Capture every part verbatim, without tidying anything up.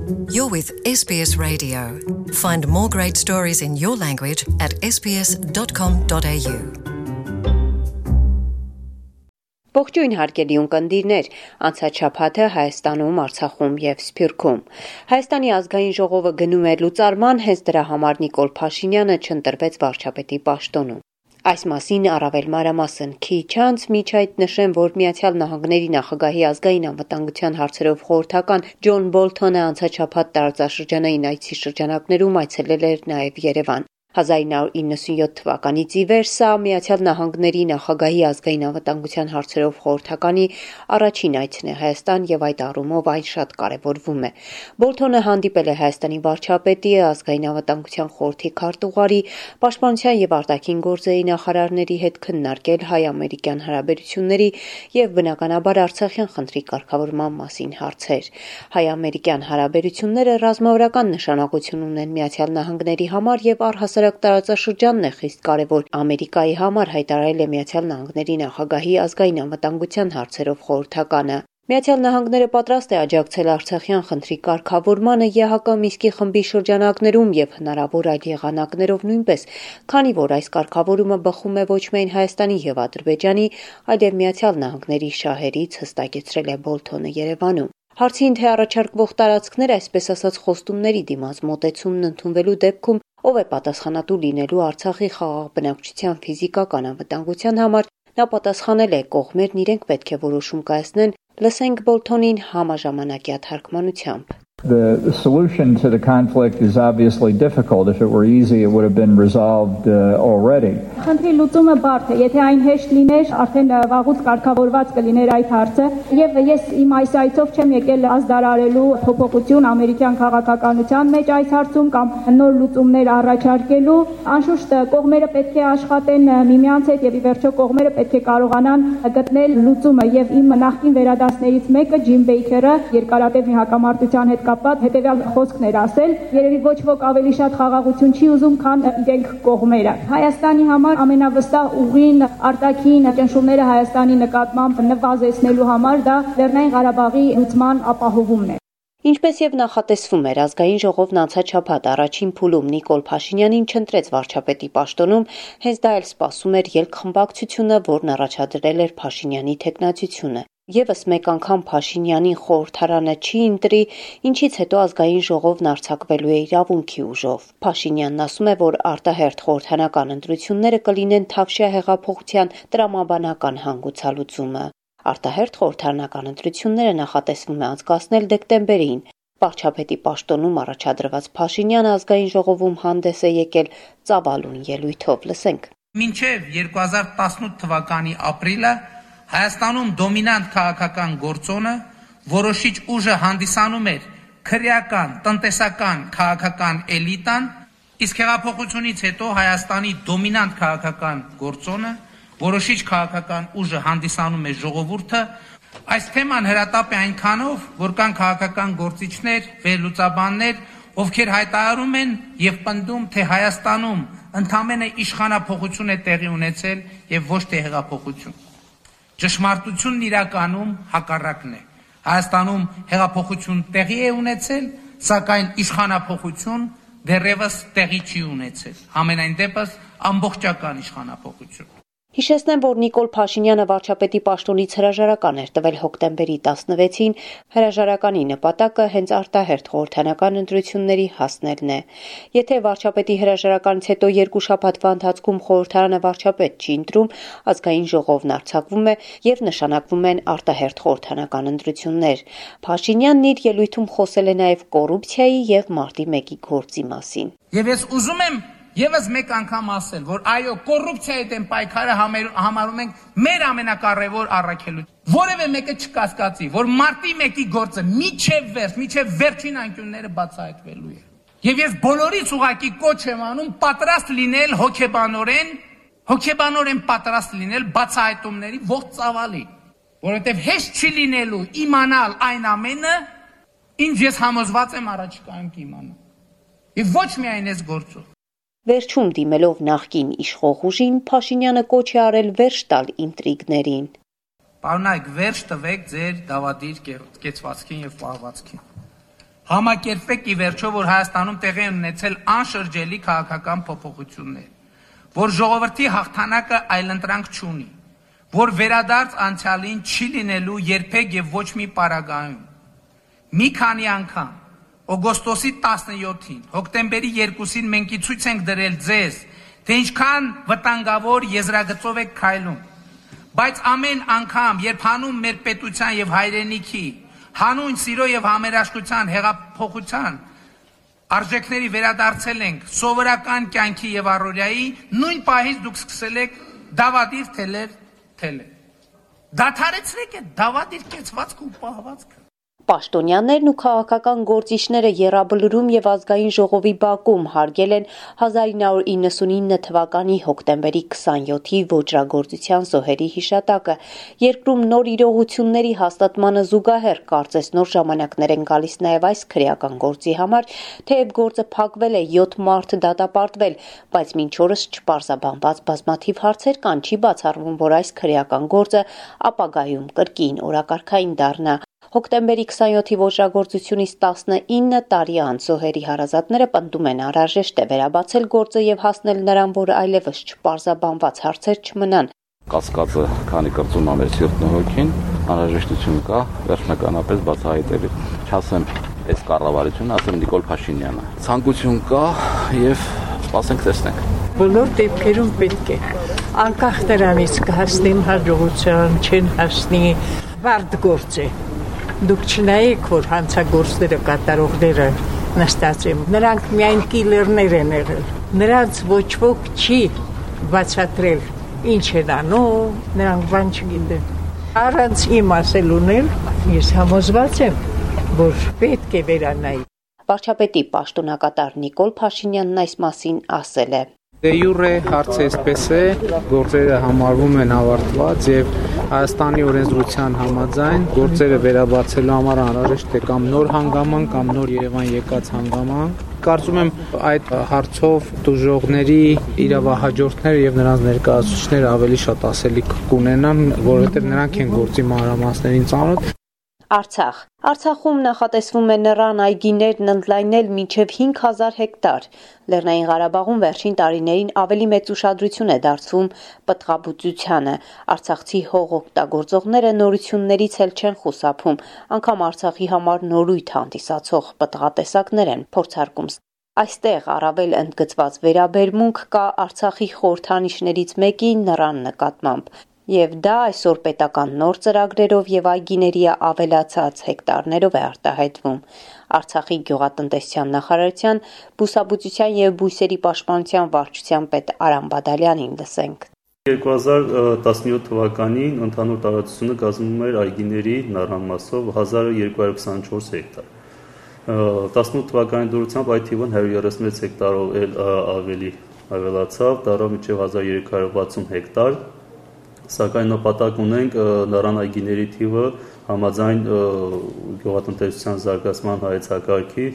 You're with S B S Radio. Find more great stories in your language at s b s dot com dot a u. Ողջույն հարգելի ունկնդիրներ, անցած շաբաթը Հայաստանում, Արցախում եւ Սփյուռքում Հայաստանի ազգային ժողովը գնում էր լուծարման, հենց դրա համար Նիկոլ Փաշինյանը չընտրվեց վարչապետի պաշտոնում։ Այս մասին առավել մանրամասն քիչ անց միջ այդ նշեմ, որ Միացյալ Նահանգների նախագահի ազգային անվտանգության հարցերով խորհրդական Ջոն Բոլթոնը անցած շաբաթ տարածաշրջանային այցի շրջանակներում այցելել էր նաեւ Երևան։ հազար նույնսուն իննսունյոթ թվականից ի վեր սա Միացյալ Նահանգների նախագահի ազգային անվտանգության հարցերով խորհրդականի առաջին այցն է Հայաստան եւ այդ առումով այն շատ կարեւորվում է։ Բոլթոնը հանդիպել է Հայաստանի վարչապետի, ազգային անվտանգության խորհրդի քարտուղարի, պաշտպանության եւ արտաքին գործերի նախարարների հետ քննարկել հայ-ամերիկյան հարաբերությունների եւ բնականաբար Արցախյան խնդրի կարգավորման մասին հարցեր։ Հայ-ամերիկյան հարաբերությունները ռազմավարական նշանակություն ունեն Միացյալ Նահանգների համար եւ առհասարակ տարածաշրջանն է խիստ կարևոր Ամերիկայի համար, հայտարարել է Միացյալ Նահանգների նախագահի ազգային անվտանգության հարցերով խորհրդականը։ Միացյալ Նահանգները պատրաստ է աջակցել Արցախյան խնդրի կարգավորմանը Է Հ Կ Մինսկի խմբի շրջանակներում եւ հնարավոր այլ եղանակներով նույնպես, քանի որ այս կարգավորումը բխում է ոչ միայն Հայաստանի եւ Ադրբեջանի, այլև Միացյալ Նահանգների շահերից, հստակեցրել է Բոլթոնը Երևանում։ Հարցին թե առաջարկվող տարածքներ, այսպես ասած խոստումների դիմաց մոտեցումն ընդունվելու դեպքում ով է պատասխանատու լինելու Արցախի խաղաղ բնակչության ֆիզիկական անվտանգության համար, նա պատասխանել է կողմերն իրենք պետք է որոշում կայացնեն, լսենք Բոլթոնին համաժամանակյա թարգմանությամբ։ The solution to the conflict is obviously difficult. If it were easy, it would have been resolved uh, already. Խնդրի լուծումը բարդ է, եթե այն հեշտ լիներ, արդեն վաղուց կարգավորված կլիներ այդ հարցը, եւ ես իմ այս այցով չեմ եկել ազդարարելու փոփոխություն ամերիկյան քաղաքականության մեջ այս հարցում կամ նոր լուծումներ առաջարկելու, անշուշտ կողմերը պետք է աշխատեն միմյանց հետ եւ ի վերջո կողմերը պետք է կարողանան գտնել լուծումը եւ իմ նախկին վերադասներից մեկը Ջիմ Բեյքերը երկարատև հակամարտության հետ կապված հետևյալ խոսքն էր ասել. երևի ոչ ոք ավելի շատ խաղաղություն չի ուզում, քան իրենք կողմերը։ Հայաստանի համար ամենավստահ ուղին արտաքին ճնշումները Հայաստանի նկատմամբ նվազեցնելու համար դա Լեռնային Ղարաբաղի լուծման ապահովումն է։ Ինչպես եւ նախատեսվում էր, ազգային ժողովն անցած շաբաթ առաջին փուլում Նիկոլ Փաշինյանին չընտրեց վարչապետի պաշտոնում, հենց դա էլ սպասում էր ելքխմբակցությունը, որն առաջադրել էր Փաշինյանի թեկնածությունը։ Եվս մեկ անգամ Փաշինյանին խորհրդարանը չի ընտրի, ինչից հետո ազգային ժողովն արձակվելու է իրավունքի ուժով։ Փաշինյանն ասում է, որ արտահերթ խորհրդանական ընտրությունները կլինեն Թավշյա հեղափոխության տրամաբանական հանգուցալուծումը։ Արտահերթ խորհրդարանական ընտրությունները նախատեսվում է անցկացնել դեկտեմբերին։ Վարչապետի պաշտոնում առաջադրված Փաշինյանը ազգային ժողովում հանդես է եկել ծավալուն ելույթով, լսենք։ Մինչև երկու հազար տասնութ թվականի ապրիլը Հայաստանում դոմինանտ քաղաքական գործոնը որոշիչ ուժը հանդիսանում էր քրեական, տնտեսական, քաղաքական էլիտան, իսկ հեղափոխությունից հետո Հայաստանի դոմինանտ քաղաքական գործոնը որոշիչ քաղաքական ուժը հանդիսանում է ժողովուրդը, այս թեման հրատապ է այնքանով, որ կան քաղաքական գործիչներ, վերլուծաբաններ, ովքեր հայտարարում են եւ պնդում, թե Հայաստանում ընդամենը իշխանափոխություն է տեղի ունեցել եւ ոչ թե հեղափոխություն։ Ճշմարտությունն իրականում հակառակն է։ Հայաստանում հեղափոխություն տեղի է ունեցել, սակայն իշխանափոխություն դեռևս տեղի չի ունեցել։ Համենայն դեպս ամբողջական իշխանափոխություն։ Հիշեցնեմ, որ Նիկոլ Փաշինյանը վարչապետի պաշտոնից հրաժարական էր տվել հոկտեմբերի տասնվեցին, հրաժարականի նպատակը հենց արտահերթ խորհրդանական ընտրությունների հասնելն է։ Եթե վարչապետի հրաժարականից հետո երկու շաբաթվա ընթացքում խորհրդարանը վարչապետ չի ընտրում, ազգային ժողովն արձակվում է եւ նշանակվում են արտահերթ խորհրդանական ընտրություններ։ Փաշինյանն իր ելույթում խոսել է նաեւ կոռուպցիայի եւ մարտի մեկի գործի մասին։ Եվ ես ուզում եմ Եվս մեկ անգամ ասել, որ այո, կոռուպցիայի դեմ պայքարը համարում ենք մեր ամենակարևոր առաքելություն։ Որևէ մեկը չկասկածի, որ մարտի մեկի գործը միջև վերջ, միջև վերջին անկյունները բացահայտվելու է։ Եվ ես բոլորից ուղղակի կոչ եմ անում պատրաստ լինել հոգեբանորեն, հոգեբանորեն պատրաստ լինել բացահայտումների ողջ ծավալի, որովհետև հեշտ չի լինելու իմանալ այն ամենը, ինչ ես համոզված եմ առաջիկայում կիմանամ։ Եվ ոչ միայն այս գործով։ Վերջում դիմելով նախկին իշխող ուժին, Փաշինյանը կոչ է արել վերջ տալ ինտրիգներին։ Պարոնայք, վերջ տվեք ձեր դավադիր կեցվածքին եւ պահվածքին։ Համակերպեք ի վերջո, որ Հայաստանում տեղի են ունեցել անշրջելի քաղաքական փոփոխություններ, որ ժողովրդի հաղթանակը այլընտրանք չունի, որ վերադարձ անցյալին չի լինելու երբեք եւ ոչ մի պարագայում։ Մի քանի անգամ օգոստոսի տասնյոթին, հոկտեմբերի երկուսին մենք ցույց ենք դրել ձեզ, թե ինչքան վտանգավոր եզրագծով եք քայլում, բայց ամեն անգամ, երբ հանում մեր պետության եւ հայրենիքի հանուն սիրո եւ համերաշխության հեղափոխության արժեքների վերադարձել ենք սովորական կյանքի եւ առօրյայի, նույն պահից դուք սկսել եք դավադիր թելեր թելել։ Դադարեցրեք այդ դավադիր կեցվածքը ու պահվածքը։ Պաշտոնյաներն ու քաղաքական գործիչները Եռաբլուրում եւ ազգային ժողովի բակում հարգել են հազար ինը հարյուր իննսունինը թվականի հոկտեմբերի քսանյոթի ոճրագործության զոհերի հիշատակը։ Երկրում նոր իրողությունների հաստատմանը զուգահեռ կարծես նոր ժամանակներ են գալիս նաեւ այս քրեական գործի համար, թեև գործը փակվել է, յոթ մարդ դատապարտվել, բայց մինչ օրս չպարզաբանված բազմաթիվ հարցեր կան, չի բացառվում, որ այս քրեական գործը ապագայում կրկին օրակարգային դառնա։ Հոկտեմբերի քսանյոթի ոճրագործությունից տասնինը տարի անց զոհերի հարազատները պնդում են անհրաժեշտ է վերաբացել գործը եւ հասնել նրան, որ այլևս չպարզաբանված հարցեր չմնան։ Կասկածը, քանի կրծում ամեր սիրտն ու հոգին, անհրաժեշտություն կա վերջնականապես բացահայտելու։ Չասեմ այս կառավարությունը, ասեմ Նիկոլ Փաշինյանը։ Ցանկություն կա եւ սպասենք տեսնենք։ Բոլոր դեպքերում պետք է անկախ նրանից կհասնին հաջողության, չեն հասնի, վարդ գործ է։ Դուք չնայեք, որ հանցագործները կատարողները նստած են, նրանք միայն կիլերներ են եղել, նրանց ոչ ոք չի բացատրել ինչ են անում, նրանք բան չգիտեն։ Առանց իմ ասելունել, ես համոզված եմ, որ պետք է վերանայի։ Վարչապետի պաշտոնակատար Նիկոլ Փաշինյանն այս մասին ասել է. Դե յուրե հարցը այսպես է, գործերը համարվում են ավարտված եւ Հայաստանի օրենսդրության համաձայն գործերը վերաբացելու համար անհրաժեշտ է կամ նոր հանգամանք կամ նոր Երևան եկած հանգամանք։ Կարծում եմ այդ հարցով դժողների իրավահաջորդները եւ նրանց ներկայացուցիչները ավելի շատ ասելիք կունենան, որովհետեւ նրանք են գործի մանրամասներին ծանոթ։ Արցախ Արցախում նախատեսվում է նռան այգիներն ընդլայնել մինչև հինգ հազար հեկտար։ Լեռնային Ղարաբաղում վերջին տարիներին ավելի մեծ ուշադրություն է դարձվում պտղաբուծությանը։ Արցախցի հող օգտագործողները նորություններից էլ չեն խուսափում, անգամ Արցախի համար նորույթ հանդիսացող պտղատեսակներ են փորձարկում։ Այստեղ առավել ընդգծված վերաբերմունք կա Արցախի խորհրդանիշներից մեկի նռան նկատմամբ։ Եվ դա այսօր պետական նոր ծրագրերով եւ այգիների ավելացած հեկտարներով է արտահայտվում։ Արցախի գյուղատնտեսության նախարարության բուսաբուծության եւ բույսերի պաշտպանության վարչության պետ Արամ Բադալյանին լսենք։ երկու հազար տասնյոթ թվականին ընդհանուր տարածությունը կազմում էր այգիների նռան մասով հազար երկու հարյուր քսանչորս հեկտար։ տասնութ թվականի դուրսությամբ այդ թիվը հարյուր երեսունվեց հեկտարով էլ ավելի ավելացավ, դառավ մինչև հազար երեք հարյուր վաթսուն հեկտար։ Սակայն նպատակ ունենք նռան այգիների թիվը համաձայն գյուղատնտեսության զարգացման հայեցակարգի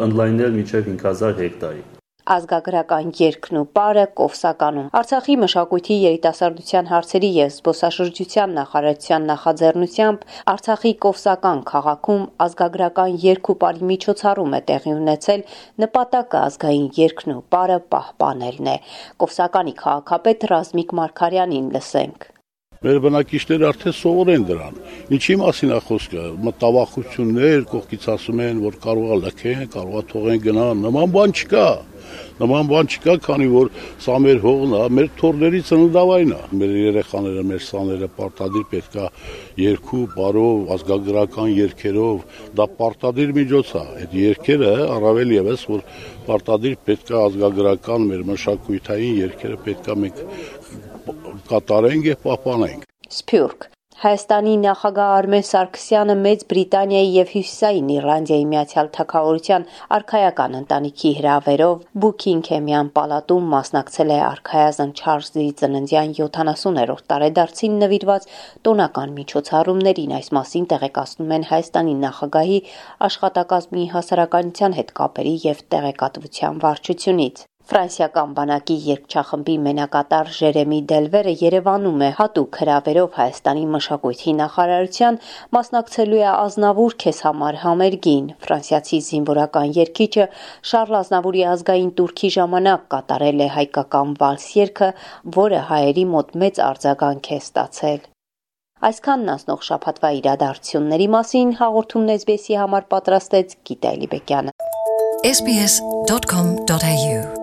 ընդլայնել մինչև հինգ հազար հեկտարի։ Ազգագրական երգն ու պարը Կովսականում։ Արցախի մշակույթի երիտասարդության հարցերի եւ զբոսաշրջության նախարարության նախաձեռնությամբ Արցախի Կովսական քաղաքում ազգագրական երգ ու պարի միջոցառում է տեղի ունեցել, նպատակը ազգային երգն ու պարը պահպանելն է։ Կովսականի քաղաքապետ Ռազմիկ Մարգարյանին լսենք։ Մեր բնակիչները արդեն սովորեն դրան։ Ինչի մասին է խոսքը։ Մտավախություններ, կողքից ասում են, որ կարող է լքեն, կարող է թողեն գնան, նման բան չկա։ Նման բան չկա, քանի որ սա մեր հողն է, մեր թորների ծննդավայրն է։ Մեր երեխաները, մեր սաները պարտադիր պետք է երգու, բարով, ազգագրական երգերով, դա պարտադիր միջոց է։ Այդ երգերը առավել եւս, որ պարտադիր պետք է ազգագրական մեր մշակութային երգերը պետք է մենք կատարենք եւ պահպանենք։ Սփյուռք Հայաստանի նախագահ Արմեն Սարգսյանը Մեծ Բրիտանիայի եւ Հյուսիսային Իռլանդիայի Միացյալ Թագավորության արքայական ընտանիքի հրավերով Բուքինգհեմյան պալատում մասնակցել է արքայազն Չարլզի ծննդյան յոթանասուներորդ տարեդարձին նվիրված տոնական միջոցառումներին։ Այս մասին տեղեկացնում են Հայաստանի նախագահի աշխատակազմի հասարակայնության հետ կապերի եւ տեղեկատվության վարչությունից։ Ֆրանսիական բանակի երգչախմբի մենակատար Ժերեմի Դելվերը Երևանում է հատուկ հրավերով Հայաստանի մշակույթի նախարարության մասնակցելու է Ազնավուր քեզ համար համերգին։ Ֆրանսիացի զինվորական երգիչը Շարլ Ազնավուրի ազգային տուրքի ժամանակ կատարել է հայկական վալս երգը, որը հայերի մոտ մեծ արձագանք է ստացել։ Այսքանն ասնող շաբաթվա իրադարձությունների մասին հաղորդումն էս բի էսի համար պատրաստեց Գիտա Էլիբեկյանը։ S B S dot com dot A U